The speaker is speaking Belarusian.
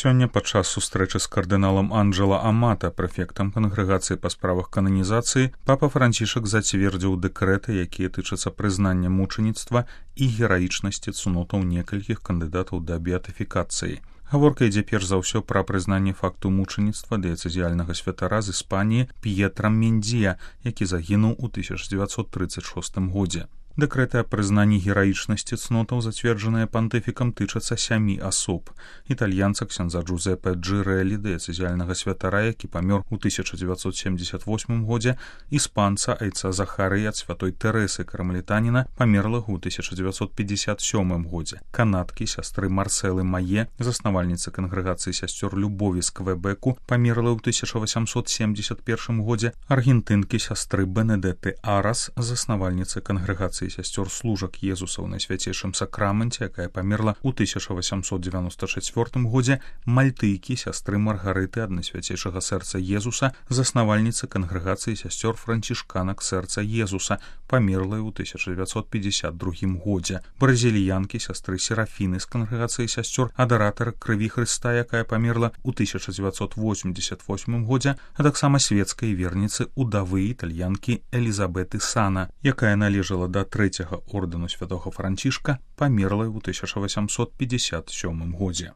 Сёння падчас сустрэчы з кардыналам Анджела Амата, прэфектам кангрэгацыі па справах кананізацыі, папа Францішак зацвердзіў дэкрэты, якія тычацца прызнання мучаніцтва і гераічнасці цнотаў некалькіх кандыдатаў да беатыфікацыі. Гаворка ідзе перш за ўсё пра прызнанне факту мучаніцтва дыяцэзіяльнага святара з Іспаніі П'етра Мендзія, які загінуў у 1936 годзе. Дэкрэты аб прызнанні гераічнасці цнотаў, зацверджаныя пантыфікам, тычацца 7 асоб. Італьянца ксяндза Джузеппе Джирэлі, дыяцэзіяльнага святара, які памёр у 1978 годзе, іспанца айца Захарыя ад святой Тэрэсы Кармелітаніна, памерлага ў 1957 годзе, канадкі сястры Марселы Мае, заснавальніцы кангрэгацыі сясцёр Любові з Квебеку, памерлай ў 1871 годзе, аргентынкі сястры Бенедетты Арас, заснавальніцы кангрэгацыі сясцёр служак Езуса ў Найсвяцейшым сакраменце, якая памерла ў 1894 годзе, мальтыйкі сястры Маргарыты ад Найсвяцейшага сэрца Езуса, заснавальніцы кангрэгацыі сясцёр францішканак сэрца Езуса, памерлай у 1952 годзе, бразіліянкі сястры Серафіны з кангрэгацыі сясцёр адаратара крыві Хрыста, якая памерла ў 1988 годзе, а таксама свецкай верніцы удавы італьянкі Элізабеты Сана, якая належала да трэцяга ордэну святога Францішка, памерлай у 1857 годзе.